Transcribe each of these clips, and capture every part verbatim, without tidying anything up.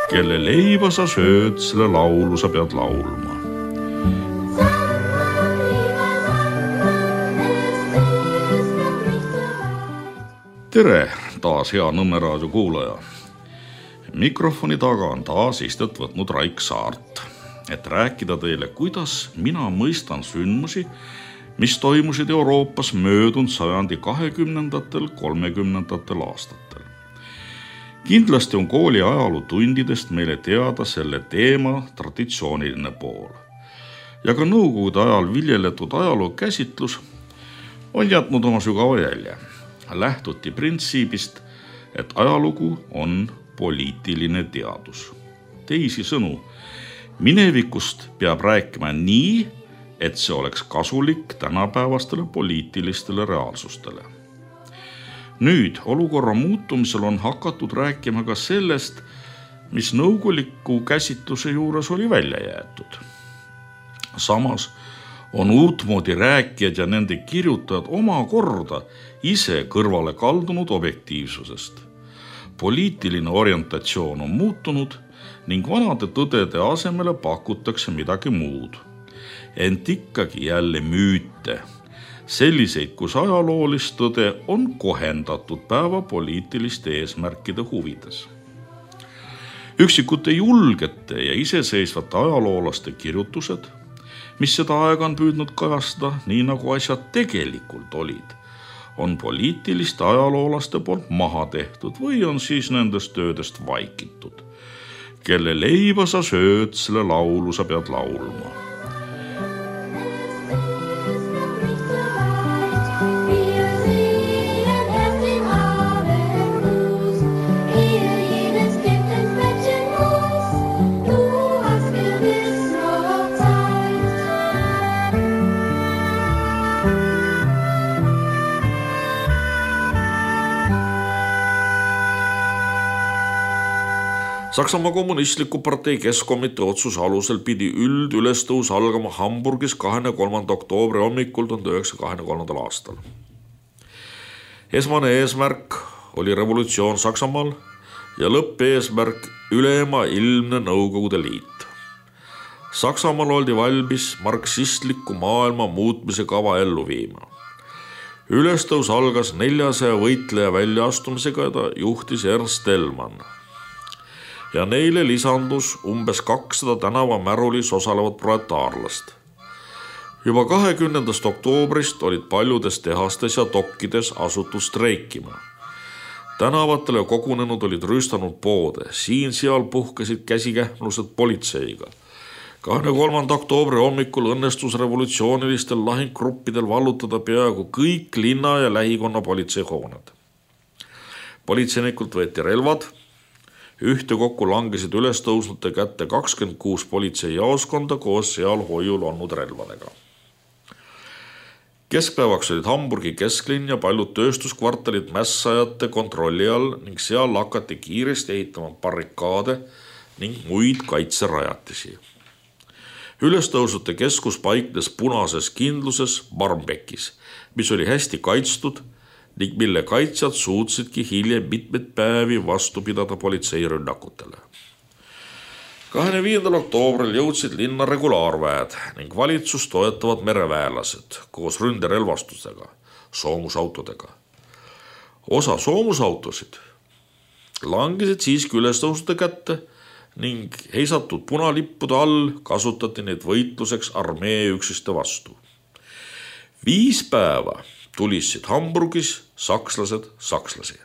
Kelle leiba sa sööd, selle laulu sa pead laulma. Tere taas hea Nõmme raadio kuulaja. Mikrofoni taga on taas istet võtnud Raik Saart, et rääkida teile, kuidas mina mõistan sündmusi, mis toimusid Euroopas möödunud sajandi kahekümnendatel, kolmekümnendatel aastatel. Kindlasti on kooli ajalootundidest meile teada selle teema traditsiooniline pool. Ja ka nõukogude ajal viljeletud ajaloo käsitlus on jätnud oma sügava jälje. Lähtuti printsiibist, et ajalugu on poliitiline teadus. Teisi sõnu, minevikust peab rääkima nii, et see oleks kasulik tänapäevastele poliitilistele reaalsustele. Nüüd olukorra muutumisel on hakatud rääkima ka sellest, mis nõukoguliku käsitluse juures oli välja jäetud. Samas on uutmoodi rääkijad ja nende kirjutajad oma korda ise kõrvale kaldunud objektiivsusest. Poliitiline orientatsioon on muutunud ning vanade tõdede asemele pakutakse midagi muud. Ent ikkagi jälle müüte, selliseid, kus ajaloolist tõde on kohendatud päeva poliitiliste eesmärkide huvides. Üksikute julgete ja iseseisvate ajaloolaste kirjutused, mis seda aega on püüdnud kajastada nii nagu asjad tegelikult olid, on poliitiliste ajaloolaste poolt maha tehtud või on siis nendest töödest vaikitud. Kelle leiba sa sööd, selle laulu sa pead laulma. Saksamaa kommunistliku partei keskkomitee otsuse alusel pidi üldülestõus algama Hamburgis kahekümne kolmanda oktoobri hommikul tuhande üheksasaja kahekümne kolmandal aastal. Esmane eesmärk oli revolutsioon Saksamaal ja lõppeesmärk ülema ilmne Nõukogude Liit. Saksamaal oldi valmis marksistliku maailma muutmise kava ellu viima. Ülestõus algas neljasaja võitleja väljaastumisega ja ta juhtis Ernst Thälmann. Ja neile lisandus umbes kakssada tänavamärulis osalevat proletaarlast. Juba kahekümnendast oktoobrist olid paljudes tehastes ja dokkides asutud streikima. Tänavatele kogunenud olid rüüstanud poode, siin-seal puhkesid käsikähmlused politseiga. kahekümne kolmanda oktoobri hommikul õnnestus revolutsioonilistel lahinggruppidel vallutada peaaegu kõik linna ja lähikonna politseihooned. Politseinikult võeti relvad. Ühte kokku langesid ülestõusnute kätte kakskümmend kuus politseijaoskonda koos seal hoiul olnud relvadega. Keskpäevaks olid Hamburgi kesklinn ja paljud tööstuskvartalid mässajate kontrolli all ning seal hakati kiiresti ehitama barrikaade ning muid kaitserajatisi. Ülestõusnute keskus paiknes punases kindluses Barmbekis, mis oli hästi kaitstud ning mille kaitsjad suutsidki hiljem mitmeid päevi vastu pidada politseirünnakutele. kahekümne viiendal oktoobril jõudsid linna regulaarväed ning valitsus toetavad mereväelased koos ründerelvastusega, soomusautodega. Osa soomusautosid langesid siiski ülestõusude kätte ning heisatud punalippude all kasutati neid võitluseks armee üksiste vastu. Viis päeva tulissid Hamburgis sakslased sakslasi.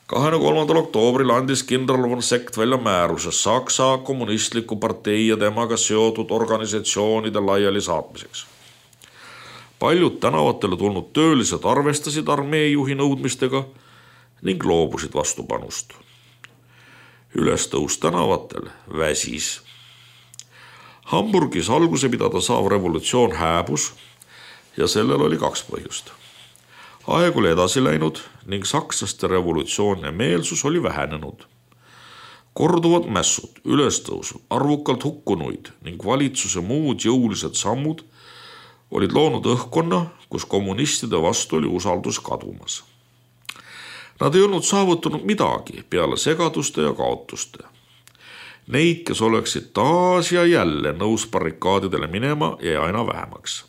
kahekümne kolmandal oktoobril andis kindral von Sekt välja määruse Saksa kommunistliku partei ja temaga seotud organisatsioonide laiali saatmiseks. Paljud tänavatele tulnud töölised arvestasid armeejuhi nõudmistega ning loobusid vastupanust. Ülestõus tänavatel väsis. Hamburgis alguse pidada saav revolutsioon hääbus ja sellel oli kaks põhjust. Aeg oli edasi läinud ning sakslaste revolutsioonne meelsus oli vähenenud. Korduvad mässud, ülestõusud, arvukalt hukkunuid ning valitsuse muud jõulised sammud olid loonud õhkkonna, kus kommunistide vastu oli usaldus kadumas. Nad ei olnud saavutanud midagi peale segaduste ja kaotuste. Neid, kes oleksid taas ja jälle nõus barrikaadidele minema, jäi aina vähemaks.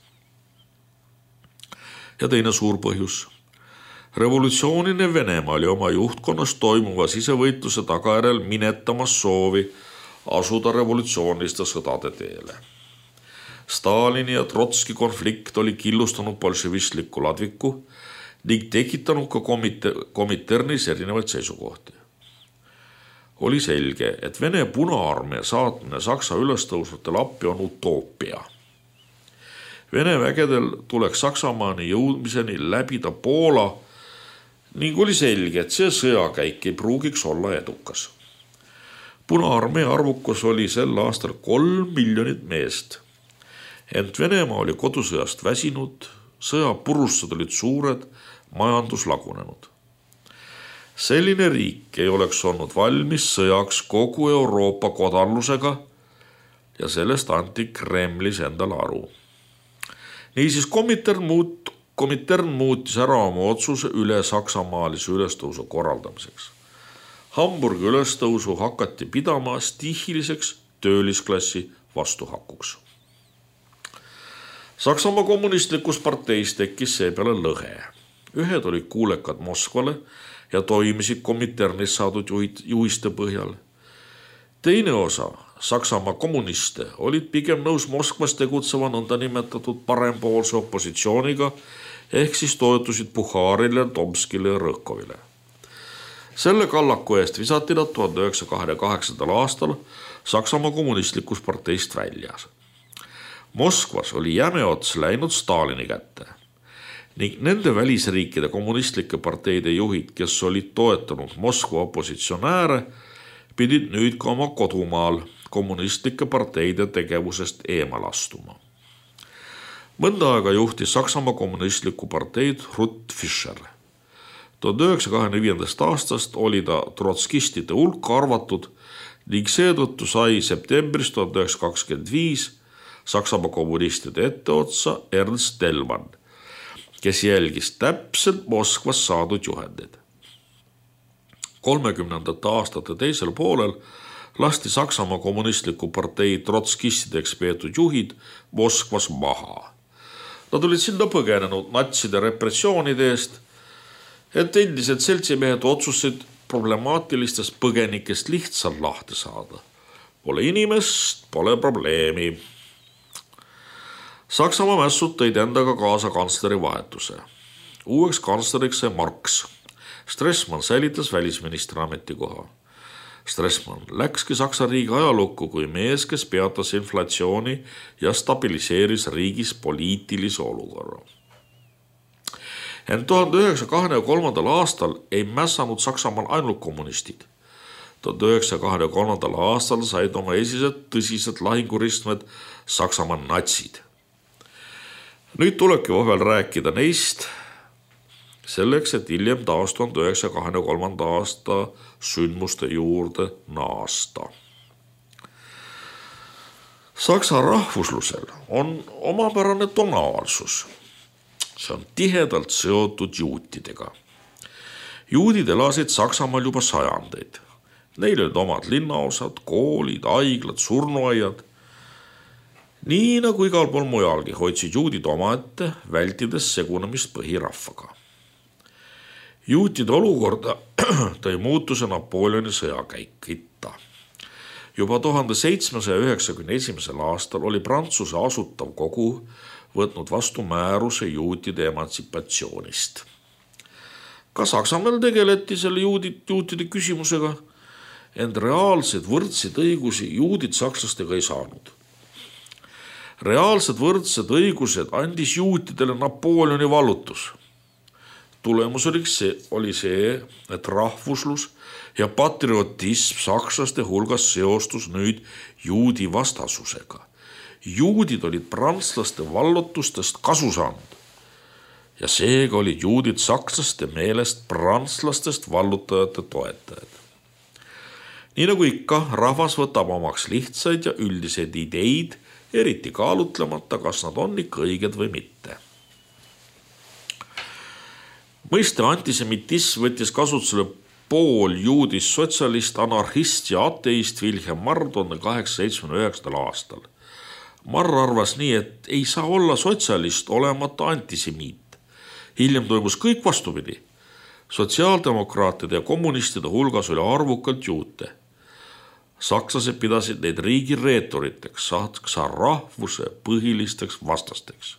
Ja teine suur põhjus. Revolutsioonine Venemaa oli oma juhtkonnas toimuva sisevõitluse tagajärjel minetamas soovi asuda revolutsiooniliste sõdade teele. Stalini ja Trotski konflikt oli killustanud bolševistlikku ladviku ning tekitanud ka komite, komiternis erinevaid seisukohti. Oli selge, et Vene Punaarmee saatmine Saksa ülestõusvatele appi on utoopia. Vene vägedel tuleks Saksamaani jõudmiseni läbida Poola ning oli selge, et see sõjakäik ei pruugiks olla edukas. Punaarmee arvukus oli sel aastal kolm miljonit meest. Ent Venemaa oli kodusõjast väsinud, sõja purustused olid suured, majandus lagunenud. Selline riik ei oleks olnud valmis sõjaks kogu Euroopa kodanlusega ja sellest anti Kremlis endale aru. Niisiis Komintern, muut, Komintern muutis ära oma otsuse üle saksamaalise ülestõusu korraldamiseks. Hamburgi ülestõusu hakati pidama stihiliseks töölisklassi vastuhakuks. Saksamaa kommunistlikus parteis tekkis seepeale lõhe. Ühed olid kuulekad Moskvale ja toimisid Kominternis saadud juhiste põhjal. Teine osa Saksamaa kommuniste olid pigem nõus Moskvas tegutseva nõnda nimetatud parempoolse opositsiooniga ehk siis toetusid Puharile, Tomskile ja Rõhkovile. Selle kallaku eest visati nad tuhande üheksasaja kahekümne kaheksandal aastal Saksamaa kommunistlikus parteist väljas. Moskvas oli jäme ots läinud Stalini kätte ning nende välisriikide kommunistlike parteide juhid, kes olid toetanud Moskva opositsionääre, pidid nüüd ka oma kodumaal kommunistlike parteide tegevusest eemal astuma. Mõnda aega juhtis Saksamaa kommunistlikku parteid Ruth Fischer. tuhande üheksasaja kahekümne viiendast aastast oli ta trotskistide hulka arvatud ning seetõttu sai septembris tuhande üheksasada kakskümmend viis Saksamaa kommunistide etteotsa Ernst Thälmann, kes jälgis täpselt Moskvas saadud juhendid. kolmekümnendate aastate teisel poolel lasti Saksamaa kommunistliku partei trotskistideks peetud juhid Moskvas maha. Nad olid sinna põgenenud natside repressioonide eest, et endised seltsimehed otsusid problemaatilistest põgenikest lihtsalt lahti saada. Pole inimest, pole probleemi. Saksamaa mässud tõid endaga kaasa kantsleri vahetuse. Uueks kantsleriks sai Marx. Stressmann säilitas välisministri ametikoha. Stressmann läkski Saksa riigi ajalukku kui mees, kes peatas inflatsiooni ja stabiliseeris riigis poliitilise olukorra. Ent tuhande üheksasaja kahekümne kolmandal aastal ei mässanud Saksamaal ainult kommunistid. tuhande üheksasaja kahekümne kolmandal aastal said oma esised tõsised lahinguristmed Saksamaa natsid. Nüüd tulebki vahel rääkida neist selleks, et hiljem taas tuhande üheksasaja kahekümne kolmanda aasta sündmuste juurde naasta. Saksa rahvuslusel on omapärane tonaalsus. See on tihedalt seotud juutidega. Juudid elasid Saksamaal juba sajandeid. Neil olid omad linnaosad, koolid, haiglad, surnuaiad. Nii nagu igal pool mujalgi hoidsid juudid omaette, vältides segunemist põhirahvaga. Juutide olukorda tõi muutuse Napoleoni sõjakäik itta. Juba tuhande seitsmesaja üheksakümne esimesel aastal oli Prantsuse asutav kogu võtnud vastu määruse juutide emantsipatsioonist. Ka Saksamaal tegeleti selle juudid, juutide küsimusega, ent reaalsed võrdseid õigusi juudid sakslastega ei saanud. Reaalsed võrdsed õigused andis juutidele Napoleoni vallutus. Tulemus oli see, oli see, et rahvuslus ja patriotism sakslaste hulgas seostus nüüd juudi vastasusega. Juudid olid prantslaste vallutustest kasu saanud ja seega olid juudid sakslaste meelest prantslastest vallutajate toetajad. Nii nagu ikka, rahvas võtab omaks lihtsaid ja üldiseid ideid, eriti kaalutlemata, kas nad on ikka õiged või mitte. Mõiste antisemitism võttis kasutusele pool juudist sotsialist, anarhist ja ateist Wilhelm Marr tuhande kaheksasaja seitsmekümne üheksandal aastal. Marr arvas nii, et ei saa olla sotsialist olemata antisemiit. Hiljem toimus kõik vastupidi. Sotsiaaldemokraatide ja kommunistide hulgas oli arvukalt juute. Sakslased pidasid neid riigi reetoriteks, saksa rahvuse põhilisteks vastasteks.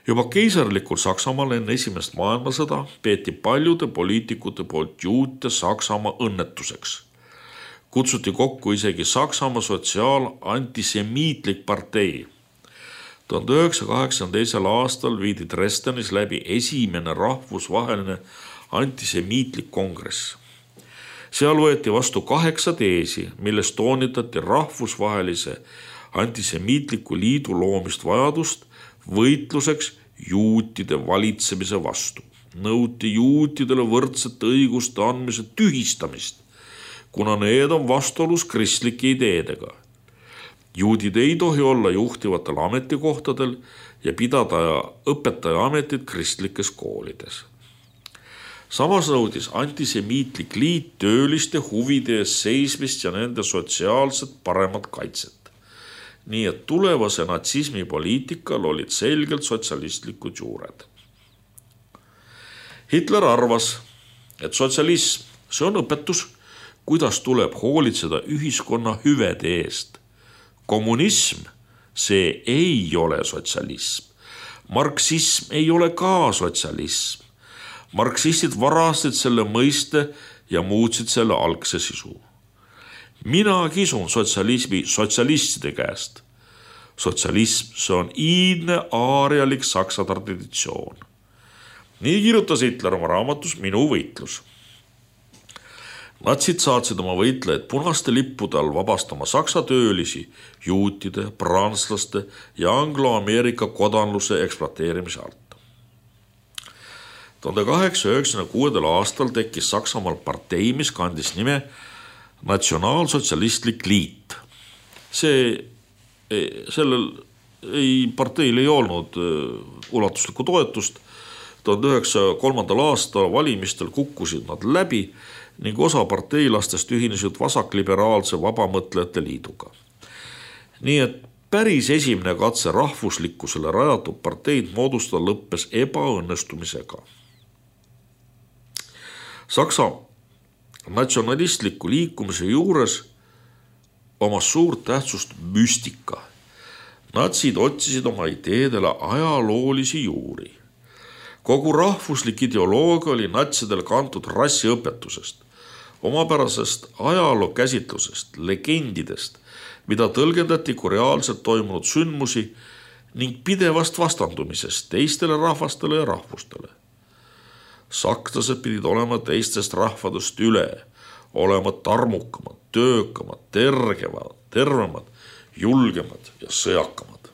Juba keisarlikul Saksamaal enne esimest maailmasõda peeti paljude poliitikute poolt juute Saksamaa õnnetuseks. Kutsuti kokku isegi Saksamaa sotsiaal-antisemiitlik partei. tuhande üheksasaja kaheksakümne teisel aastal viidi Dresdenis läbi esimene rahvusvaheline antisemiitlik kongress. Seal võeti vastu kaheksa teesi, milles toonitati rahvusvahelise antisemiitliku liidu loomist vajadust võitluseks juutide valitsemise vastu. Nõuti juutidele võrdsete õiguste andmise tühistamist, kuna need on vastuolus kristlike ideedega. Juudid ei tohi olla juhtivatel ametikohtadel ja pidada õpetaja ametit kristlikes koolides. Samas nõudis antisemiitlik liit tööliste huvide ees seismist ja nende sotsiaalset paremat kaitset. Nii et tulevase natsismi poliitikal olid selgelt sotsialistlikud juured. Hitler arvas, et sotsialism, see on õpetus, kuidas tuleb hoolitseda ühiskonna hüvede eest. Kommunism, see ei ole sotsialism. Marksism ei ole ka sotsialism. Marksistid varastasid selle mõiste ja muutsid selle algse sisu. Mina kisun sotsialismi sotsialistide käest. Sotsialism, see on iidne aarialik saksa traditsioon. Nii kirjutas Hitler oma raamatus Minu võitlus. Natsid saatsid oma võitlejad punaste lippude all vabastama saksa töölisi juutide, prantslaste ja anglo-Ameerika kodanluse ekspluateerimise alt. tuhande kaheksasaja üheksakümne kuuendal aastal tekkis Saksamaal partei, mis kandis nime Natsionaalsotsialistlik liit. See, sellel ei, parteil ei olnud ulatuslikku toetust. tuhande üheksasaja kolmandal aastal valimistel kukkusid nad läbi ning osa parteilastest ühinesid vasakliberaalse vabamõtlejate liiduga. Nii et päris esimene katse rahvuslikkusele rajatud parteid moodustada lõppes ebaõnnestumisega. Saksa natsionalistliku liikumise juures omas suurt tähtsust müstika. Natsid otsisid oma ideedele ajaloolisi juuri. Kogu rahvuslik ideoloogia oli natsidel kantud rassiõpetusest, omapärasest ajaloo käsitlusest, legendidest, mida tõlgendati kui reaalselt toimunud sündmusi ning pidevast vastandumisest teistele rahvastele ja rahvustele. Sakslased pidid olema teistest rahvadest üle, olema tarmukamad, töökamad, tergemad, tervemad, julgemad ja sõjakamad.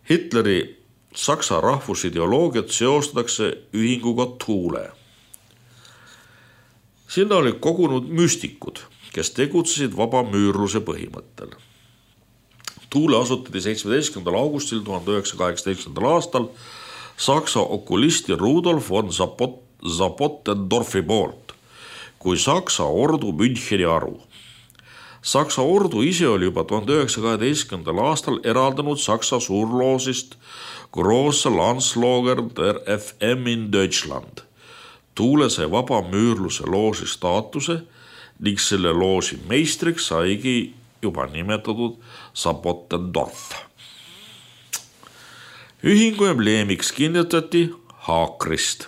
Hitleri Saksa rahvusideoloogiat seostatakse ühinguga Thule. Sinna olid kogunud müstikud, kes tegutsesid vabamüürluse põhimõttel. Thule asutati seitsmeteistkümnendal augustil tuhande üheksasaja kaheksateistkümnendal aastal Saksa okulisti Rudolf von Zapottendorfi poolt kui Saksa ordu Müncheni aru. Saksa ordu ise oli juba tuhande üheksasaja kaheteistkümnendal aastal eraldanud Saksa suurloosist Große Landslager der F M in Deutschland. Thule sai vabamüürluse loosi staatuse ning selle loosi meistriks saigi juba nimetatud Zapottendorf. Ühingu embleemiks kinnitati haakrist.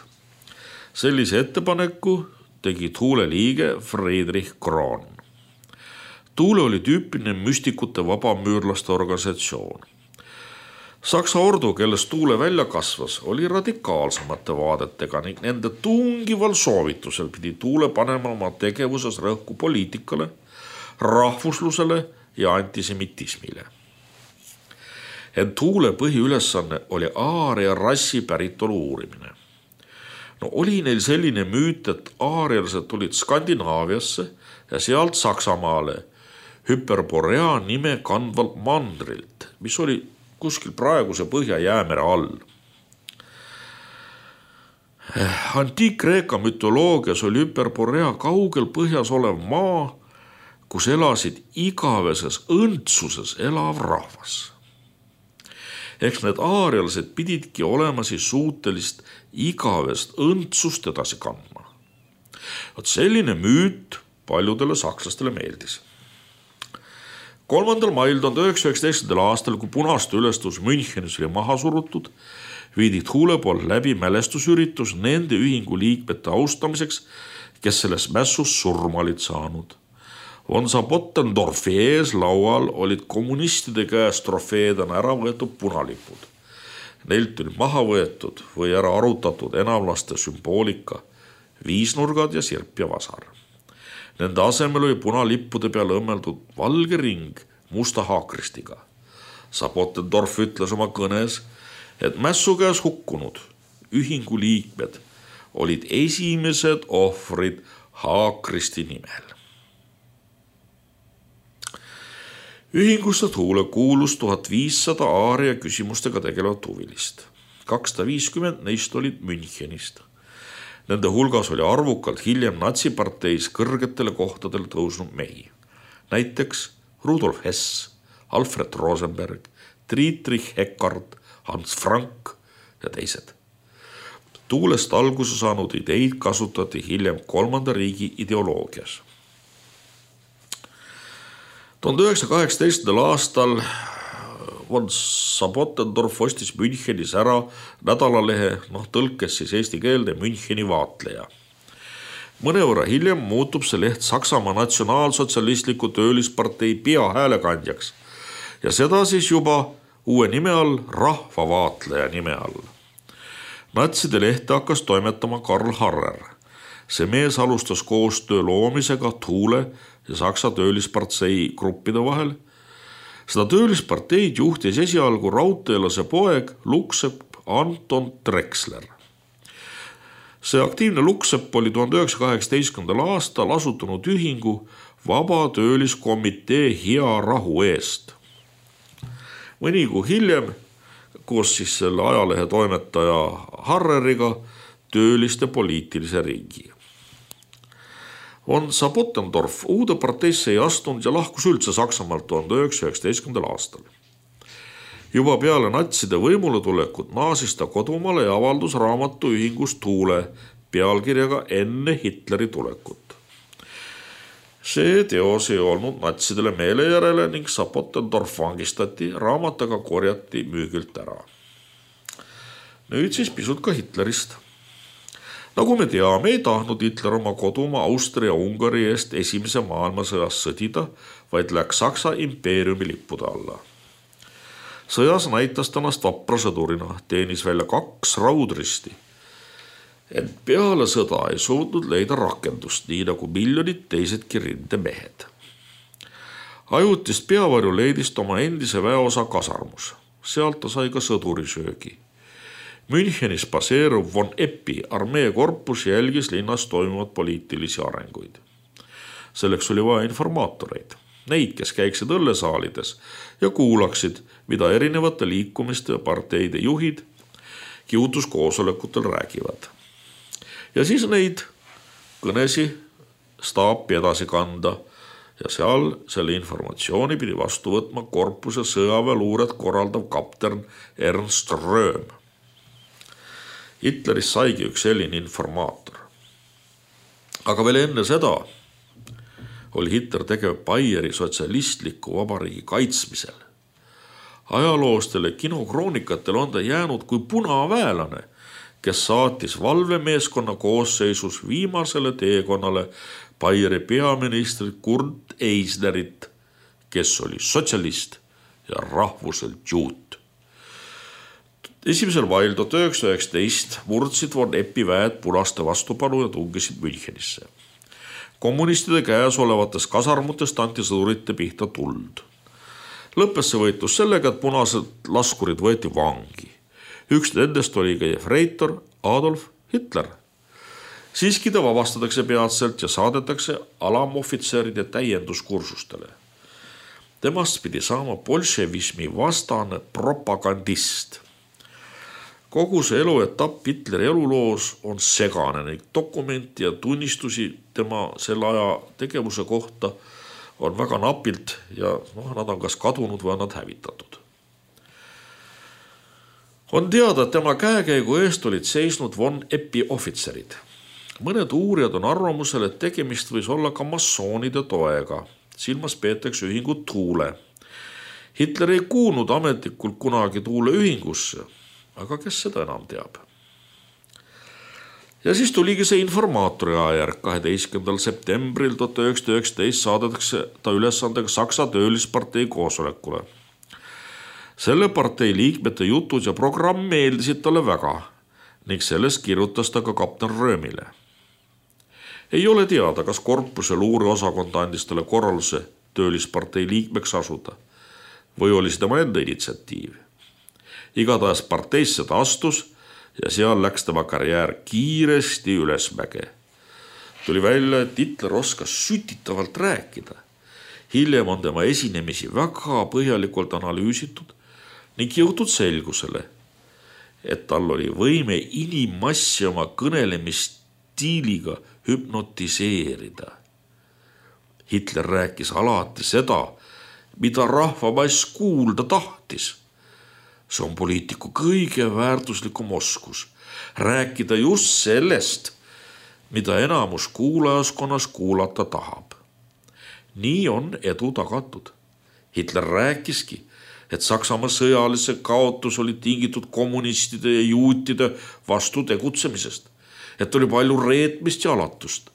Sellise ettepaneku tegi Thule liige Friedrich Kroon. Thule oli tüüpiline müstikute vabamüürlaste organisatsioon. Saksa ordu, kellest Thule välja kasvas, oli radikaalsemate vaadetega ning nende tungival soovitusel pidi Thule panema oma tegevuses rõhku poliitikale, rahvuslusele ja antisemitismile. Ent Thule põhiülesanne oli aaria rassi päritolu uurimine. No oli neil selline müüt, et aarialased tulid Skandinaaviasse ja sealt Saksamaale Hyperborea nime kandvalt mandrilt, mis oli kuskil praeguse Põhja-Jäämere all. Antiik-Kreeka mütoloogias oli Hyperborea kaugel põhjas olev maa, kus elasid igaveses õndsuses elav rahvas. Eks need aarialased pididki olema siis suutelist igavest õndsust edasi kandma. Vot selline müüt paljudele sakslastele meeldis. kolmandal mail tuhande üheksasaja üheksateistkümnendal aastal, kui punaste ülestus Münchenis oli maha surutud, viidi Thule poolt läbi mälestusüritus nende ühingu liikmete austamiseks, kes selles mässus surma olid saanud. Von Sabottendorfi ees laual olid kommunistide käest trofeedena ära võetud punalipud. Neilt oli maha võetud või ära arutatud enamlaste sümboolika, viisnurgad ja sirp ja vasar. Nende asemel oli punalippude peale õmmeldud valge ring musta haakristiga. Sabottendorf ütles oma kõnes, et mässu käes hukkunud ühingu liikmed olid esimesed ohvrid haakristi nimel. Ühingusse Thule kuulus tuhat viissada aaria küsimustega tegelevat huvilist. kakssada viiskümmend neist olid Münchenist. Nende hulgas oli arvukalt hiljem natsiparteis kõrgetele kohtadele tõusnud mehi. Näiteks Rudolf Hess, Alfred Rosenberg, Dietrich Eckart, Hans Frank ja teised. Thuulest alguse saanud ideid kasutati hiljem kolmanda riigi ideoloogias. tuhande üheksasaja kaheksateistkümnendal aastal Von Sabottendorf ostis Münchenis ära nädalalehe, noh tõlkes siis eesti keelde Müncheni vaatleja. Mõnevõrra hiljem muutub see leht Saksamaa natsionaalsotsialistliku töölispartei peahäälekandjaks ja seda siis juba uue nime all, rahvavaatleja nime all. Natside lehte hakkas toimetama Karl Harrer. See mees alustas koostöö loomisega Thule ja Saksa töölispartei gruppide vahel. Seda töölisparteid juhtis esialgu raudteelase poeg Luksepp Anton Drexler. See aktiivne Luksepp oli tuhande üheksasaja kaheksateistkümnendal aastal asutanud ühingu Vaba tööliskomitee hea rahu eest. Mõni kuu hiljem, koos siis selle ajalehe toimetaja Harreriga, tööliste poliitilise riigi. Von Sabottendorf uude parteisse ei astunud ja lahkus üldse Saksamaalt tuhande üheksasaja üheksateistkümnendal aastal. Juba peale natside võimule tulekut naasis ta kodumaale ja avaldus raamatu ühingus Thule pealkirjaga Enne Hitleri tulekut. See teos ei olnud natsidele meele järele ning Sabottendorf vangistati, raamataga korjati müügilt ära. Nüüd siis pisut ka Hitlerist. Nagu me teame, ei tahtnud Hitler oma kodumaa Austria-Ungari eest esimese maailmasõjas sõdida, vaid läks Saksa impeeriumi lippude alla. Sõjas näitas tänast vapra sõdurina, teenis välja kaks raudristi. Ent peale sõda ei suutnud leida rakendust, nii nagu miljonid teisedki rindemehed. Ajutist peavarju leidist oma endise väeosa kasarmus. Sealt ta sai ka sõdurisöögi. Münchenis baseeruv Von Eppi armeekorpus jälgis linnas toimuvad poliitilisi arenguid. Selleks oli vaja informaatoreid, neid, kes käiksid õllesaalides ja kuulaksid, mida erinevate liikumiste ja parteide juhid kiutuskoosolekutel räägivad. Ja siis neid kõnesi staapi edasi kanda ja seal selle informatsiooni pidi vastu võtma korpuse sõjaväeluuret korraldav kapten Ernst Röhm. Hitleris saigi üks selline informaator. Aga veel enne seda oli Hitler tegev Baieri sotsialistliku vabariigi kaitsmisel. Ajaloostele kinokroonikatel on ta jäänud kui punaväelane, kes saatis valvemeeskonna koosseisus viimasele teekonnale Baieri peaministrit Kurt Eisnerit, kes oli sotsialist ja rahvuselt juut. Esimesel mail tuhat üheksasada üheksateist murdsid Von Eppi väed punaste vastupanu ja tungisid Münchenisse. Kommunistide käes olevates kasarmutest anti sõdurite pihta tuld. Lõppes see võitlus sellega, et punased laskurid võeti vangi. Üks nendest oli ka jefreitor Adolf Hitler. Siiski ta vabastatakse peatselt ja saadetakse alamohvitseride täienduskursustele. Temast pidi saama bolševismi vastane propagandist. Kogu see eluetapp Hitleri eluloos on segane, ning dokumenti ja tunnistusi tema selle aja tegevuse kohta on väga napilt ja noh, nad on kas kadunud või on nad hävitatud. On teada, et tema käekäigu eest olid seisnud von Eppi ohvitserid. Mõned uurijad on arvamusel, et tegemist võis olla ka massoonide toega. Silmas peetakse ühingut Tuule. Hitler ei kuulnud ametlikult kunagi Tuule ühingusse, aga kes seda enam teab. Ja siis tuligi see informaatori ajärg. kaheteistkümnendal septembril tuhat üheksasada üheksateist saadetakse ta ülesandega Saksa töölispartei koosolekule. Selle partei liikmete jutud ja programm meeldisid talle väga ning sellest kirjutas ta ka kapten Röömile. Ei ole teada, kas korpuse luureosakond andis talle korralduse töölispartei liikmeks asuda või oli see tema enda initsiatiiv. Igatahes parteisse ta astus ja seal läks tema karjäär kiiresti ülesmäge. Tuli välja, et Hitler oskas sütitavalt rääkida. Hiljem on tema esinemisi väga põhjalikult analüüsitud ning jõutud selgusele, et tal oli võime inimmassi oma kõnelemisstiiliga hüpnotiseerida. Hitler rääkis alati seda, mida rahvamass kuulda tahtis. See on poliitiku kõige väärtuslikum oskus, rääkida just sellest, mida enamus kuulajaskonnas kuulata tahab. Nii on edu tagatud. Hitler rääkiski, et Saksamaa sõjalise kaotus oli tingitud kommunistide ja juutide vastu tegutsemisest, et oli palju reetmist ja alatust.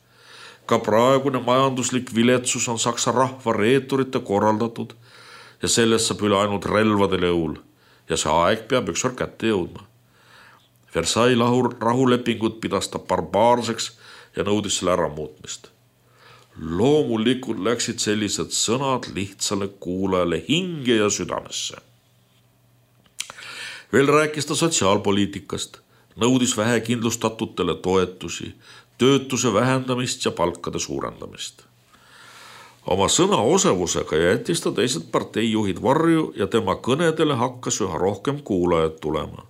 Ka praegune majanduslik viletsus on Saksa rahva reeturite korraldatud ja sellest saab üle ainult relvadele jõul ja see aeg peab ükskord kätte jõudma. Versailles rahulepingut pidas ta barbaarseks ja nõudis selle ära muutmist. Loomulikult läksid sellised sõnad lihtsale kuulajale hinge ja südamesse. Veel rääkis ta sotsiaalpoliitikast, nõudis vähekindlustatutele toetusi, töötuse vähendamist ja palkade suurendamist. Oma sõna osavusega jättis ta teised parteijuhid varju ja tema kõnedele hakkas üha rohkem kuulajad tulema.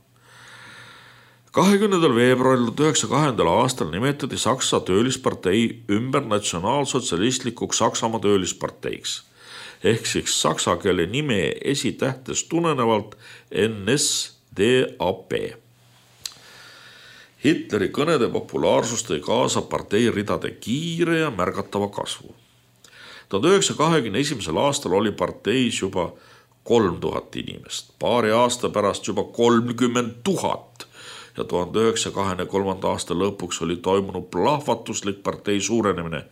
kahekümnendal veebruaril tuhat üheksasaja kahekümnendal aastal nimetati Saksa töölispartei ümber natsionaalsotsialistlikuks Saksamaa töölisparteiks ehk siis saksa keele nime esitähtest tulenevalt N S D A P. Hitleri kõnede populaarsus tõi kaasa partei ridade kiire ja märgatava kasvu. tuhat üheksasaja kahekümne esimesel aastal oli parteis juba kolm tuhat inimest, paari aasta pärast juba kolmkümmend tuhat ja tuhande üheksasaja kahekümne kolmanda aasta lõpuks oli toimunud plahvatuslik partei suurenemine.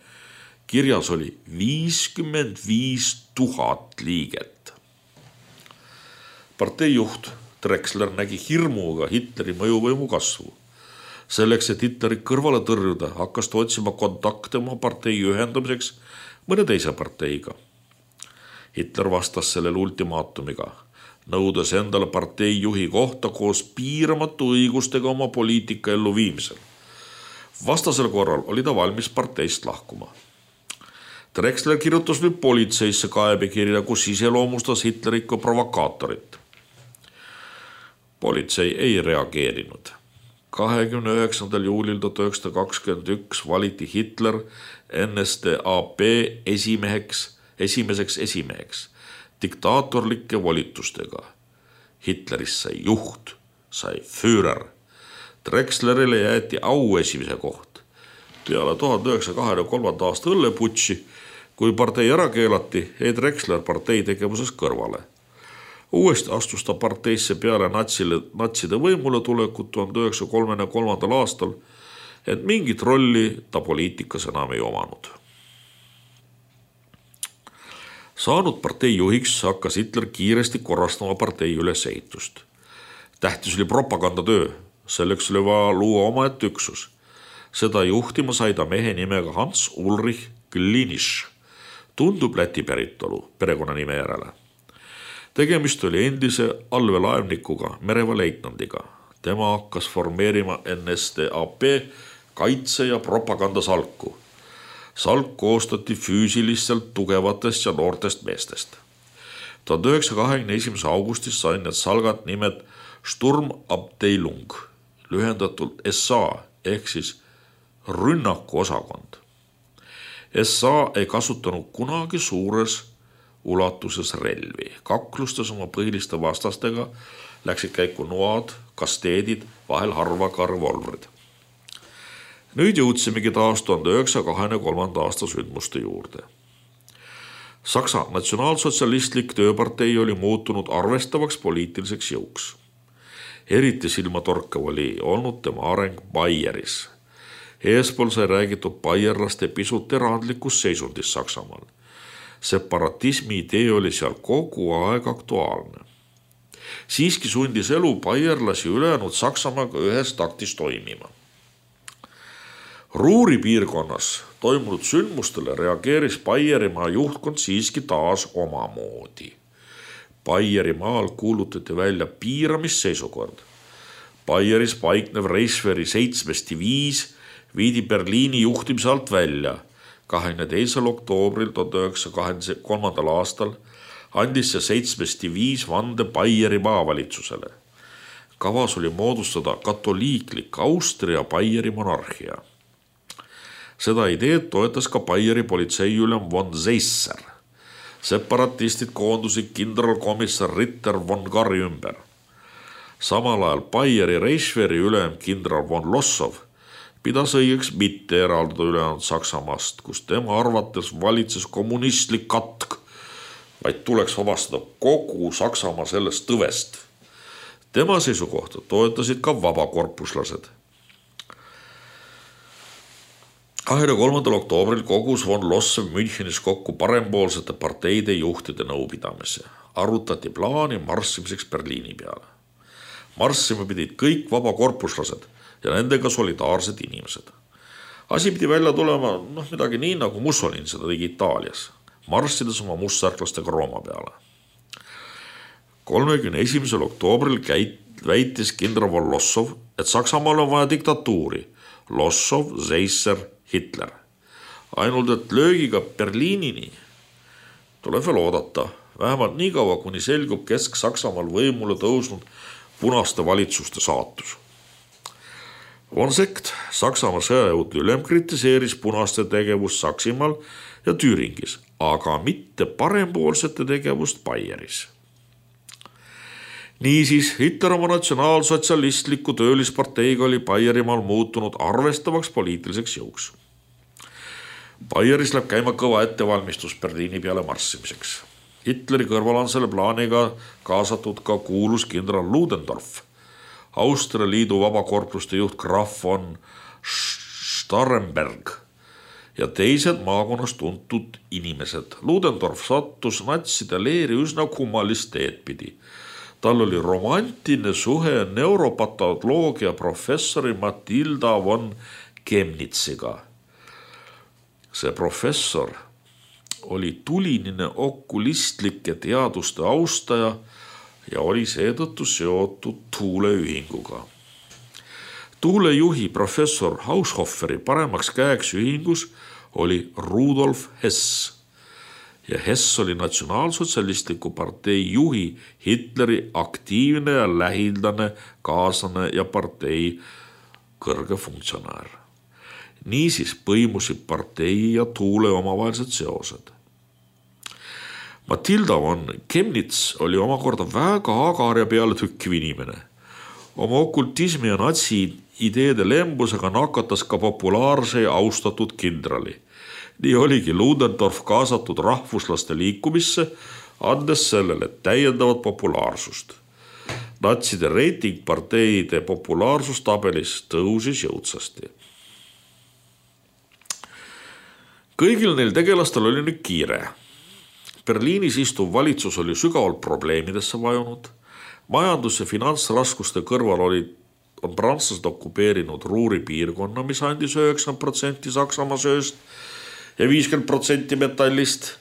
Kirjas oli viiskümmend viis tuhat liiget. Partei juht Drexler nägi hirmuga Hitleri mõjuvõimu kasvu. Selleks, et Hitleri kõrvale tõrjuda, hakkas ta otsima kontakte oma partei ühendamiseks mõne teise parteiga. Hitler vastas sellele ultimaatumiga, nõudes endale partei juhi kohta koos piiramatu õigustega oma poliitika elluviimisel. Vastasel korral oli ta valmis parteist lahkuma. Drexler kirjutas nüüd politseisse kaebekirja, kus iseloomustas Hitlerit kui provokaatorit. Politsei ei reageerinud. kahekümne üheksandal juulil tuhat üheksasada kakskümmend üks valiti Hitler N S D A P esimeheks, esimeseks esimeheks diktaatorlike volitustega. Hitlerist sai juht, sai Führer. Drexlerile jäeti au esimese koht. Peale tuhande üheksasaja kahekümne kolmanda aasta õlleputši, kui partei ära keelati, jäi Drexler partei tegevuses kõrvale. Uuesti astus ta parteisse peale natsile, natside võimule tulekut tuhande üheksasaja kolmekümne kolmandal aastal, et mingit rolli ta poliitikas enam ei omanud. Saanud partei juhiks hakkas Hitler kiiresti korrastama partei ülesehitust. Tähtis oli propagandatöö, selleks oli vaja luua omaette üksus. Seda juhtima sai ta mehe nimega Hans Ulrich Glinisch. Tundub Läti päritolu perekonnanime järele. Tegemist oli endise allveelaevnikuga, mereväeleitnandiga. Tema hakkas formeerima N S D A P kaitse- ja propagandasalku. Salk koostati füüsiliselt tugevatest ja noortest meestest. tuhande üheksasaja kahekümne esimese augustis sai need salgad nimed Sturmabteilung, lühendatult S A ehk siis rünnakuosakond. S A ei kasutanud kunagi suures ulatuses relvi. Kaklustes oma põhiliste vastastega läksid käiku noad, kasteedid, vahel harva ka revolvrid. Nüüd jõudsimegi taas tuhande üheksasaja kahekümne aasta sündmuste juurde. Saksa natsionaalsotsialistlik tööpartei oli muutunud arvestavaks poliitiliseks jõuks. Eriti silmatorkav oli olnud tema areng Baieris. Eespool sai räägitud baierlaste pisut erandlikust seisundist Saksamaal. Separatismi idee oli seal kogu aeg aktuaalne. Siiski sundis elu baierlasi ülejäänud Saksamaaga ühes taktis toimima. Ruuri piirkonnas toimunud sündmustele reageeris Baierimaa juhtkond siiski taas omamoodi. Baierimaal kuulutati välja piiramisseisukord. Baieris paiknev Reichswehri seitsmes diviis viidi Berliini juhtimise alt välja. kahekümne teisel oktoobril tuhande üheksasaja kahekümne kolmandal aastal andis see seitsmes diviis vande Baieri maavalitsusele. Kavas oli moodustada katoliiklik Austria-Baieri monarhia. Seda ideed toetas ka Baieri politseiülem von Seisser. Separatistid koondusid kindralkomissar Ritter von Gari ümber. Samal ajal Baieri Reichswehri ülem kindral von Lossow pidas õigeks mitte eraldada ülejäänud Saksamaast, kus tema arvates valitses kommunistlik katk, vaid tuleks vabastada kogu Saksamaa sellest tõvest. Tema seisukohta toetasid ka vabakorpuslased. kahekümne kolmandal oktoobril kogus von Lossow Münchenis kokku parempoolsete parteide juhtide nõupidamise. Arutati plaani marssimiseks Berliini peale. Marssima pidid kõik vabakorpuslased ja nendega solidaarsed inimesed. Asi pidi välja tulema noh, midagi nii, nagu Mussolini seda tegi Itaalias, marssides oma mustsärklastega Rooma peale. kolmekümne esimesel oktoobril käit, väitis kindral von Lossow, et Saksamaal on vaja diktatuuri. Lossow, Seisser, Hitler. Ainult, et löögiga Berliinini tuleb veel oodata, vähemalt nii kaua, kuni selgub Kesk-Saksamaal võimule tõusnud punaste valitsuste saatus. Von Sekt, Saksamaa sõjajõudu ülem, kritiseeris punaste tegevust Saksimaal ja Tüüringis, aga mitte parempoolsete tegevust Baieris. Niisiis, Hitler oma natsionaalsotsialistliku töölisparteiga oli Baierimaal muutunud arvestavaks poliitiliseks jõuks. Baieris läheb käima kõva ettevalmistus Berliini peale marssimiseks. Hitleri kõrval on selle plaaniga kaasatud ka kuulus kindral Ludendorff, Austria Liidu vabakorpluste juht Graf von Starrenberg ja teised maakonnas tuntud inimesed. Ludendorff sattus natside leeri üsna kummalist teed pidi. Tal oli romantiline suhe neuropatoloogia professori Matilda von Chemnitziga. See professor oli tulinine okulistlike teaduste austaja ja oli seetõttu seotud tuuleühinguga. Tuulejuhi professor Haushofferi paremaks käeks ühingus oli Rudolf Hess. Ja Hess oli natsionaalsotsialistliku partei juhi Hitleri aktiivne ja lähildane kaaslane ja partei kõrge funktsionäär. Niisiis põimusid partei ja tuule omavahelised seosed. Matilda von Chemnitz oli omakorda väga agar ja peale tükkiv inimene. Oma okultismi ja natsi ideede lembusega nakatas ka populaarse ja austatud kindrali. Nii oligi Ludendorff kaasatud rahvuslaste liikumisse, andes sellele täiendavat populaarsust. Natside reiting parteide populaarsustabelis tõusis jõudsasti. Kõigil neil tegelastel oli nüüd kiire. Berliinis istuv valitsus oli sügavalt probleemidesse vajunud. Majandus- ja finantsraskuste kõrval olid, on prantslased okupeerinud Ruuri piirkonna, mis andis üheksakümmend protsenti Saksamaa sööst ja viiskümmend protsenti metallist.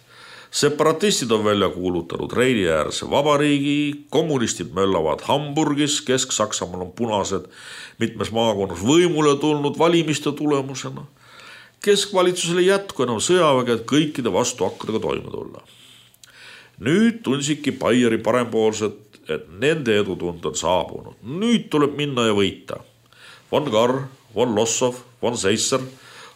Separatistid on välja kuulutanud Reini-äärse vabariigi, kommunistid möllavad Hamburgis, Kesk-Saksamaal on punased mitmes maakonnas võimule tulnud valimiste tulemusena. Keskvalitsusele jätku enam sõjaväge, et kõikide vastuhakkudega toime tulla. Nüüd tundsidki Baieri parempoolsed et nende edutund on saabunud. Nüüd tuleb minna ja võita. Von Karr, von Lossov, von Seisser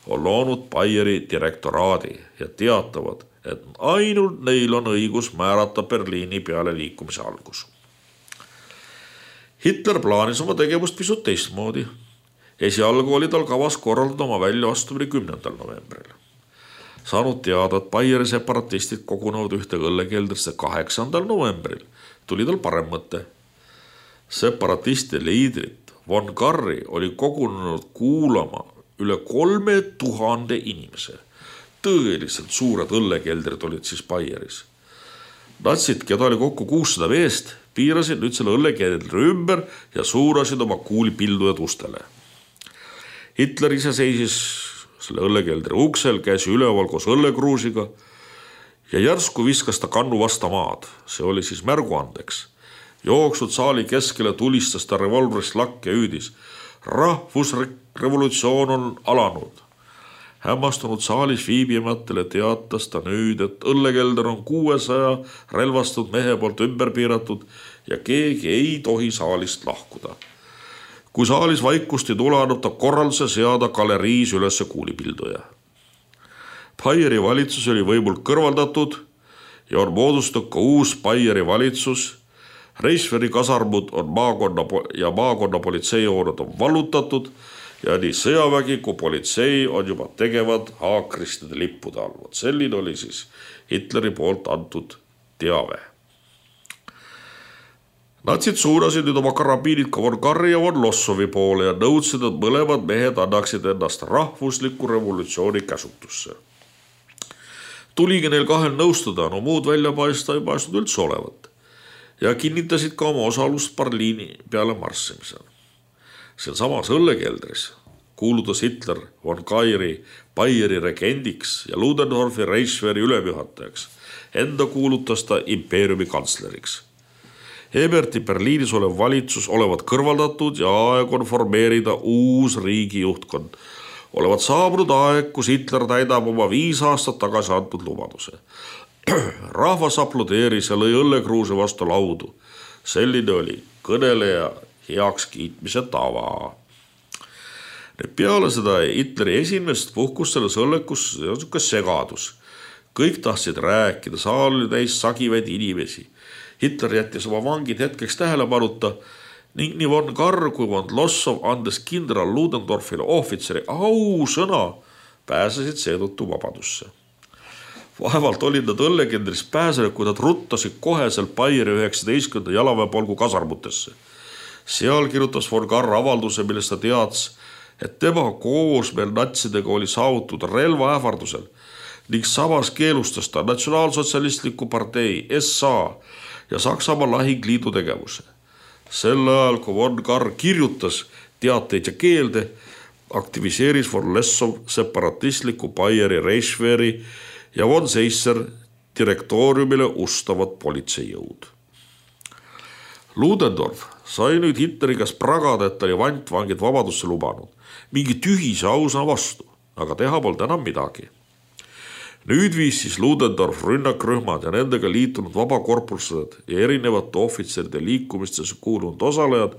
on loonud Bayeri direktoraadi ja teatavad, et ainult neil on õigus määrata Berliini peale liikumise algus. Hitler plaanis oma tegevust pisut teistmoodi. Esialgu oli tal kavas korraldada oma väljaastumine kümnendal novembril. Saanud teada, et Bayeri separatistid kogunevad ühte õllekeldrisse kaheksandal novembril, tuli tal parem mõte. Separatiste liidrit von Karri oli kogunenud kuulama üle kolme tuhande inimese. Tõeliselt suured õllekeldrid olid siis Bayeris. Natsid, keda oli kokku kuussada meest, piirasid nüüd selle õllekeldri ümber ja suurasid oma kuulipildujad ustele. Hitler ise seisis selle õllekeldri uksel, käsi üleval koos õllekruusiga ja järsku viskas ta kannu vasta maad. See oli siis märguandeks. Jooksud saali keskele tulistas ta revolvrist lakk ja hüüdis. Rahvusrevolutsioon on alanud. Hämmastunud saalis viibimatele teatas ta nüüd, et õllekelder on kuuesaja relvastunud mehe poolt ümber piiratud ja keegi ei tohi saalist lahkuda. Kui saalis vaikust ei tule, annab ta korralduse seada galeriis ülesse kuulipilduja. Bayeri valitsus oli võimult kõrvaldatud ja on moodustatud ka uus Bayeri valitsus. Reichswehri kasarmud on maakonna ja maakonna politseihooned on vallutatud ja nii sõjavägi kui politsei on juba tegevad haakristide lippude all. Selline oli siis Hitleri poolt antud teave. Natsid suunasid nüüd oma karabiinid ka von Karri ja von Lossovi poole ja nõudsid, et mõlemad mehed annaksid ennast rahvusliku revolutsiooni käsutusse. Tuligi neil kahel nõustuda, no muud välja paista ei paistnud üldse olevat ja kinnitasid ka oma osalust Berliini peale marssimisel. Seal samas õllekeldris kuulutas Hitler von Karri Bayeri regendiks ja Ludendorfi Reichswehri ülemjuhatajaks. Enda kuulutas ta impeeriumi kantsleriks. Eberti Berliinis olev valitsus olevat kõrvaldatud ja aeg on formeerida uus riigi juhtkond. Olevat saabunud aeg, kus Hitler täidab oma viis aastat tagasi antud lubaduse. Rahvas aplodeeris ja lõi õllekruuse vastu laudu. Selline oli kõneleja heaks kiitmise tava. Peale seda Hitleri esimest puhkus selles õllekus on segadus. Kõik tahtsid rääkida, saal oli täis sagivaid inimesi. Hitler jättis oma vangid hetkeks tähelepanuta ning nii von Karr kui von Lossov andes kindral Ludendorfile ohvitseri ausõna pääsesid seetõttu vabadusse. Vaevalt olid nad õllekendris pääsenud, kui nad ruttasid koheselt Bayeri üheksateistkümnenda jalaväepolgu kasarmutesse. Seal kirjutas von Karr avalduse, millest ta teads, et tema koosmeel natsidega oli saavutud relva ähvardusel ning samas keelustas ta natsionaalsotsialistliku partei S A ja Saksamaa lahingliidu tegevuse. Sel ajal, kui von Karr kirjutas teateid ja keelde, aktiviseeris von Lossov separatistliku Bayeri Reichswehri ja von Seisser direktooriumile ustavad politseijõud. Ludendorff sai nüüd Hitleri käest pragada, et ta oli vantvangid vabadusse lubanud. Mingi tühise ausana vastu, aga teha polnud enam midagi. Nüüd viis siis Ludendorff rünnakrühmad ja nendega liitunud vabakorpused ja erinevate ohvitseride liikumistesse kuulunud osalejad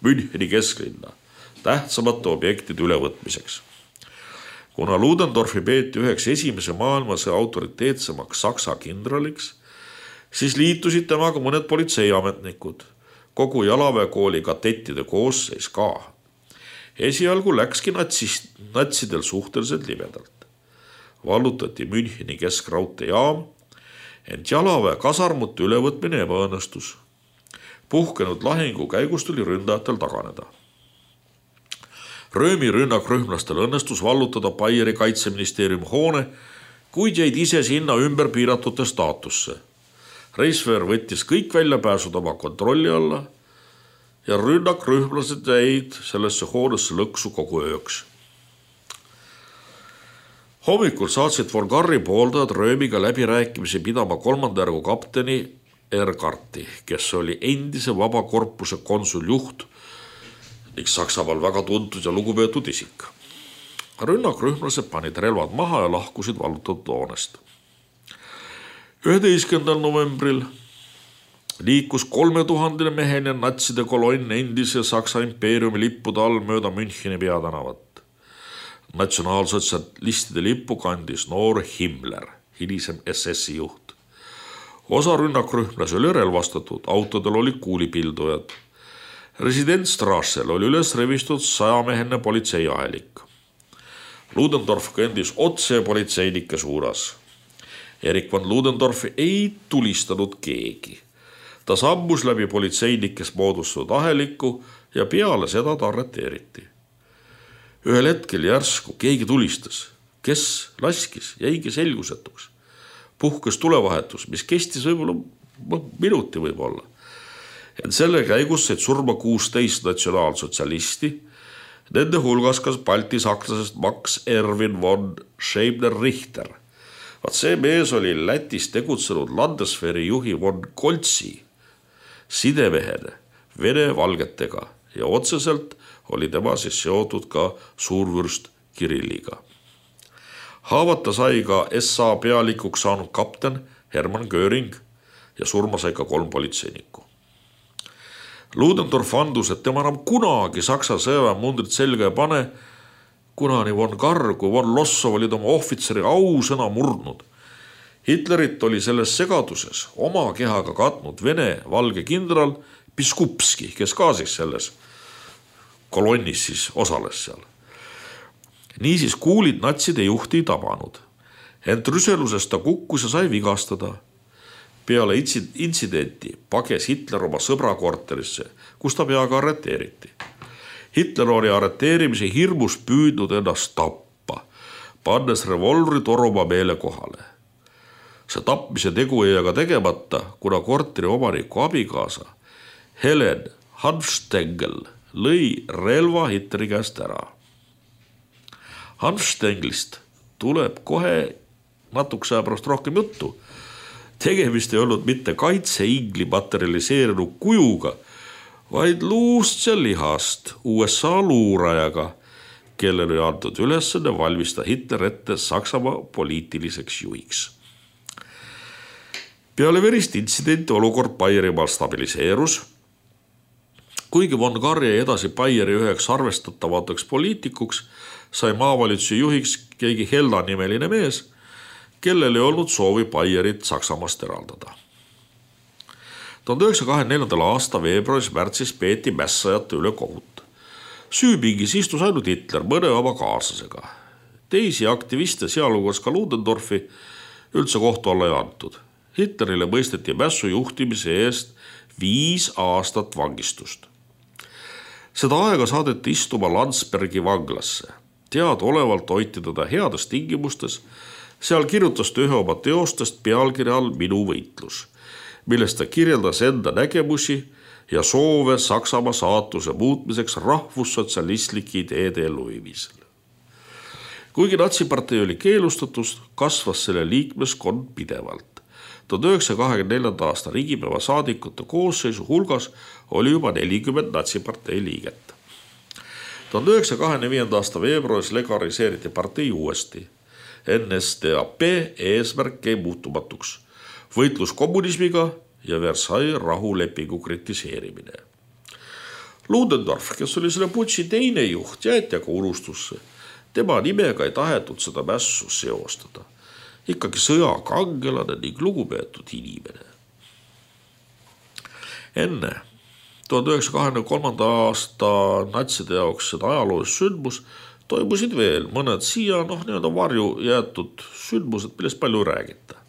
Müncheni kesklinna tähtsamate objektide ülevõtmiseks. Kuna Ludendorffi peeti üheks esimese maailmasõja autoriteetsemaks Saksa kindraliks, siis liitusid temaga mõned politseiametnikud, kogu jalaväekooli kadettide koosseis ka. Esialgu läkski natsist, natsidel suhteliselt libedalt. Vallutati Müncheni keskraudteejaam, ent jalaväe kasarmute ülevõtmine ebaõnnestus. Puhkenud lahingu käigus tuli ründajatel taganeda. Röömi rünnakrühmlastel õnnestus vallutada Bayeri kaitseministeeriumi hoone, kuid jäid ise sinna ümber piiratute staatusse. Reichswehr võttis kõik väljapääsud oma kontrolli alla ja rünnakrühmlased jäid sellesse hoonesse lõksu kogu ööks. Hommikul saatsid von Karri pooldajad Röömiga läbirääkimisi pidama kolmanda järgu kapteni Erkarti, kes oli endise vabakorpuse konsuljuht ning Saksamaal väga tuntud ja lugupeetud isik. Rünnakrühmlased panid relvad maha ja lahkusid vallutatud hoonest. üheteistkümnendal novembril liikus kolmetuhandene meheline natside kolonn endise Saksa impeeriumi lippude all mööda Müncheni peatänavat. Natsionaalsotsialistide lippu kandis noor Himmler, hilisem S S-i juht. Osa rünnakrühmlasi oli relvastatud, autodel olid kuulipildujad. Residentstrassel oli üles revistud sajameheline politseiahelik. Ludendorff kõndis otse politseinike suunas. Erik von Ludendorffi ei tulistanud keegi. Ta sammus läbi politseinikest moodustatud ahelikku ja peale seda ta arreteeriti. Ühel hetkel järsku keegi tulistas, kes laskis, jäigi selgusetuks. Puhkes tulevahetus, mis kestis võib-olla minuti võib-olla. Et selle käigus said surma kuusteist natsionaalsotsialisti, nende hulgas kas Balti sakslasest Max Erwin von Scheibner-Richter. Vaat see mees oli Lätis tegutsenud Landesveri juhi von Koltsi sidemehene Vene valgetega ja otseselt oli tema siis seotud ka suurvürst Kirilliga. Haavata sai ka S A pealikuks saanud kapten Hermann Göring ja surma sai ka kolm politseinikku. Ludendorff andus, et tema enam kunagi Saksa sõjaväemundrit selga ei pane, kuna nii von Karr kui von Lossow olid oma ohvitseri ausõna murdnud. Hitlerit oli selles segaduses oma kehaga katnud Vene valge kindral Piskupski, kes ka siis selles kolonnis siis osales seal. Niisiis kuulid natside juhti ei tabanud. Ent rüselusest ta kukkus ja sai vigastada. Peale intsidenti pages Hitler oma sõbra korterisse, kus ta peaga arreteeriti. Hitler oli arreteerimise hirmus püüdnud ennast tappa, pannes revolvri toruma meele kohale. See tapmise tegu jäi aga tegemata, kuna korteri omaniku abikaasa Helen Hanfstengel lõi relva Hitleri käest ära. Hanfstenglist tuleb kohe natukese aja pärast rohkem juttu. Tegemist ei olnud mitte kaitseingli materialiseerinud kujuga, vaid luust ja lihast U S A luurajaga, kellel oli antud ülesande valmistada Hitler ette Saksamaa poliitiliseks juhiks. Peale verist intsidenti olukord Baierimaal stabiliseerus. Kuigi von Karr jäi edasi Baieri üheks arvestatavatuks poliitikuks, sai maavalitsuse juhiks keegi Helda nimeline mees, kellel ei olnud soovi Baierit Saksamaast eraldada. tuhande üheksasaja kahekümne neljandal aasta veebruaris märtsis peeti mässajate üle kohut. Süüpingis istus ainult Hitler mõne oma kaaslasega. Teisi aktiviste, sealhulgas ka Ludendorffi, üldse kohtu alla ei antud. Hitlerile mõisteti mässu juhtimise eest viis aastat vangistust. Seda aega saadeti istuma Landsbergi vanglasse. Teadaolevalt hoiti teda heades tingimustes. Seal kirjutas ta ühe oma teostest pealkirja all Minu võitlus, millest ta kirjeldas enda nägemusi ja soove Saksamaa saatuse muutmiseks rahvussotsialistlike ideede elluviimisel. Kuigi natsipartei oli keelustatus, kasvas selle liikmeskond pidevalt. tuhande üheksasaja kahekümne neljanda aasta riigipäeva saadikute koosseisu hulgas oli juba nelikümmend natsipartei liiget. tuhande üheksasaja kahekümne viienda aasta veebruaris legaliseeriti partei uuesti. N S D A P eesmärk jäi muutumatuks. Võitlus kommunismiga ja Versailles rahulepingu kritiseerimine. Ludendorff, kes oli selle putši teine juht, jäeti aga unustusse. Tema nimega ei tahetud seda mässu seostada. Ikkagi sõjakangelane ning lugupeetud inimene. Enne tuhande üheksasaja kahekümne kolmanda aasta natside jaoks seda ajaloolist sündmus toimusid veel mõned siia noh, nii-öelda varju jäetud sündmused, millest palju ei räägita.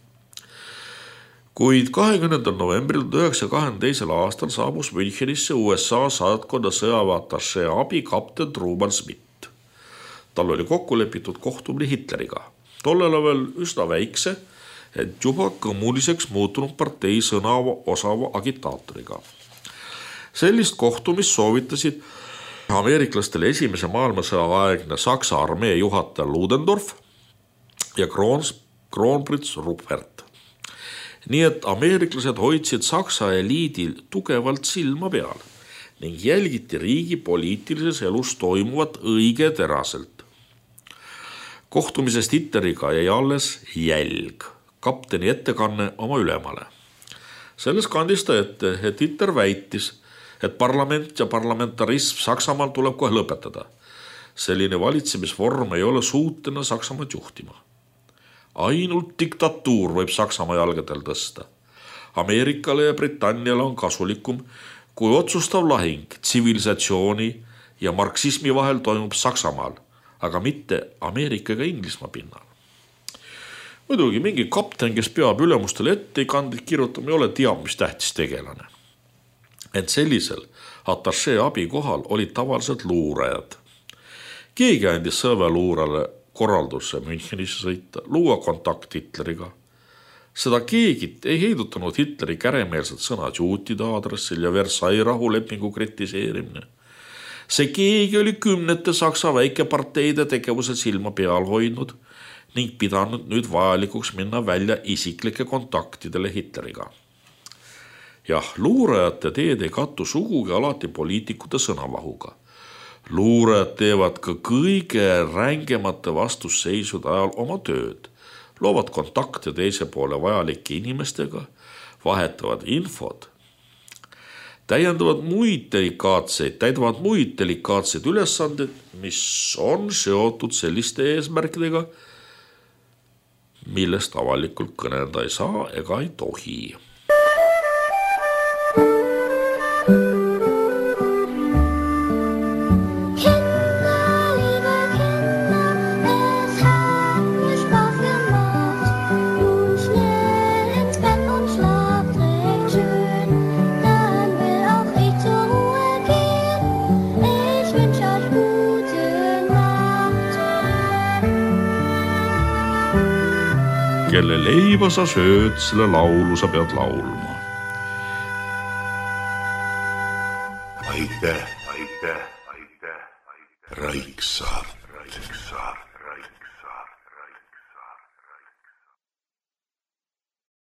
Kuid kahekümnendal novembril tuhande üheksasaja kahekümne teisel aastal saabus Münchenisse U S A saatkonna sõjaväeatašee abi kapten Truman Smith. Tal oli kokku lepitud kohtumine Hitleriga. Tollel veel üsna väikse, et juba kõmuliseks muutunud partei sõna osava agitaatoriga. Sellist kohtumist soovitasid ameeriklastele esimese maailmasõja aegne Saksa armee juhataja Ludendorff ja kroonprits Ruppert. Nii et ameeriklased hoidsid Saksa eliidil tugevalt silma peal ning jälgiti riigi poliitilises elus toimuvat õige teraselt. Kohtumisest Hitleriga jäi alles jälg, kapteni ettekanne oma ülemale. Selles kandis ta ette, et Hitler väitis, et parlament ja parlamentarism Saksamaal tuleb kohe lõpetada. Selline valitsemisvorm ei ole suutena Saksamaad juhtima. Ainult diktatuur võib Saksamaa jalgadel tõsta. Ameerikale ja Britanniale on kasulikum, kui otsustav lahing tsivilisatsiooni ja marksismi vahel toimub Saksamaal, aga mitte Ameerika ega Inglismaa pinnal. Muidugi mingi kapten, kes peab ülemustele ette ei kandid kirjutama, ei ole teab, mis tähtis tegelane. Ent sellisel atašee abi kohal olid tavaliselt luurajad. Keegi andis sõjaväeluurale korralduse Münchenisse sõita, luua kontakt Hitleriga. Seda keegit ei heidutanud Hitleri käremeelsed sõnad juutide aadressil ja Versailles rahulepingu kritiseerimine. See keegi oli kümnete Saksa väikeparteide tegevuse silma peal hoidnud ning pidanud nüüd vajalikuks minna välja isiklike kontaktidele Hitleriga. Jah, luurajate teed ei kattu sugugi alati poliitikute sõnavahuga. Luurajad teevad ka kõige rängemate vastusseisude ajal oma tööd, loovad kontakte teise poole vajalike inimestega, vahetavad infod, täiendavad muid delikaatseid, täidavad muid delikaatseid ülesanded, mis on seotud selliste eesmärkidega, millest avalikult kõnelda ei saa ega ei tohi. Kelle leiba sa sööd, selle laulu sa pead laulma. Aitäh, aitäh, aitäh, aitäh. Raiksaar.